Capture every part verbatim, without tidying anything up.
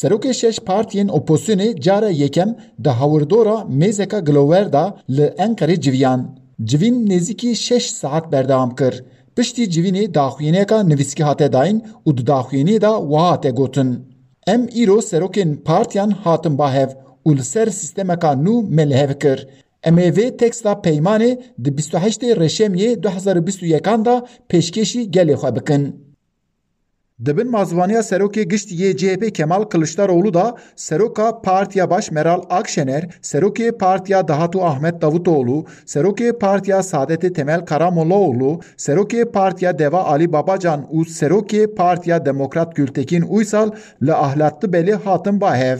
Serokê şeş partiyên opozisyonê cara yekem di hawirdora mêzeka gilower de li Enqerê civiyan. Civîn nêzîkî şeş saet berdewam kir. Piştî civînê daxuyaniyeka nivîskî hate dayîn û di daxuyaniyê de wiha hate gotin, Em îro serokên partiyan hatin ba hev û li ser sîstemeka nû me li hev kir. Em ê vê teksta peymanê di bîst û heştê Reşemiyê du hezar û bîst û yekan de pêşkêşî gelê xwe bikin. Di bin mazibaniya serokê giştî yê C H P Kemal Kiliçdaroglu de seroka Partiya Baş Meral Akşener, serokê Partiya Dahatû Ahmet Davutoğlu, serokê Partiya Saadetê Temel Karamollaoglu, serokê Partiya Deva Ali Babacan û serokê Partiya Demokrat Gültekin Uysal li Ahlat Dibelê hatin ba hev.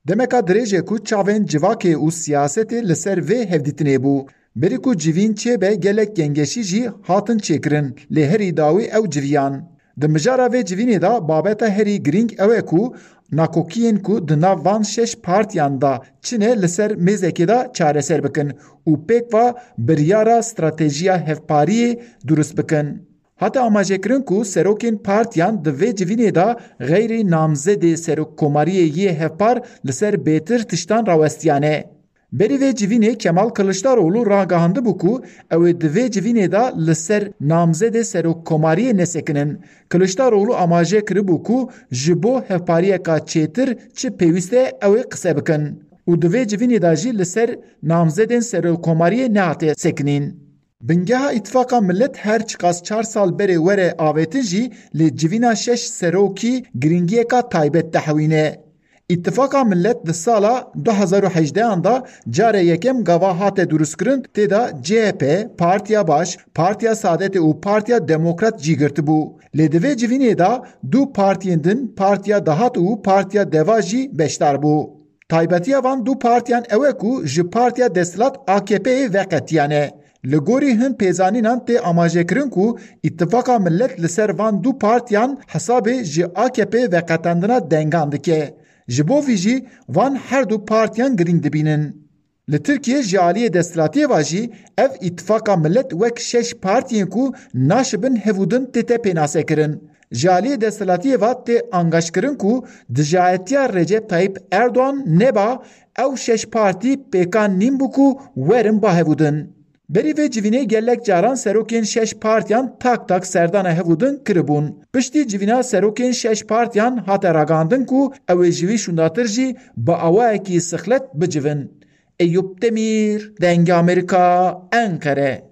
Demeka dirêj e ku çavên civakê û siyasetê li ser vê hevdîtinê bû. Berî ku civîn çêbe gelek gengeşî jî hatin çêkirin, lê herî dawî ew civiyan. Di mijara vê civînê de babeta herî girîng ew e ku nakokiyên ku di nav van şeş partiyan de çine li ser mêzekê de çareser bikin û pêkva biryara stratejiya hevpariyê durust bikin. Hate amajekirin ku serokên partiyan di vê civînê de xeyrî namzedê serokkomariyê yê hevpar li ser bêtir tiştan rawestiyane. Berî vê civînê Kemal Kiliçdaroglu ragihandibû ku ew ê di vê civînê de li ser namzedê serokkomariyê nesekinin. Kiliçdaroglu amaje kiribû ku ji bo hevpariyeka çêtir çi pêwîst e ew ê qise bikin û di vê civînê de jî li ser namzedên serokkomariyê nehate sekinîn. Bingeha Îtifaqa Millet her çiqas çar sal berê were avêtin jî lê civîna şeş serokî girîngiyeka taybet dihewîne. Îtifaqa Millet di sala du hezar û hejdehan de carê yekem gava hate durustkirin, tê de C H P, Partiya Baş, Partiya Saadetê û Partiya Demokrat cî girtibû. Lê di vê civînê de du partiyên din, Partiya Dahat û Partiya Deva jî beşdar bû. Taybetiya van du partiyan ew e ku ji partiya desthilat A K P'ê veqetiyane. Li gorî hin pêzanînan tê amajekirin ku Îtifaqa Millet li ser van du partiyan hesabê ji A K P veqetandina dengan dike. Ji bo vî jî van her du partiyan girîng dibînin. Li Tirkiyê ji aliyê desthilatiyê ve jî ev Îtifaqa Millet wek şeş partiyên ku naşibin hev û din tête pênasekirin. Ji aliyê desthilatiyê ve tê angaşkirin ku dijayetiya Recep Tayyip Erdogan neba ew şeş partî pêkan nîn bû ku werin ba hevûdin. Berî vê civînê gelek caran serokên şeş partiyan tak tak serdana hevûdin kiribûn. Piştî civîna serokên şeş partiyan hate ragihandin ku ew ê ji vî şûndatir jî bi awayekî sixlet bicivin. Eyûp Demîr, Dengê Amerîka, Enqere.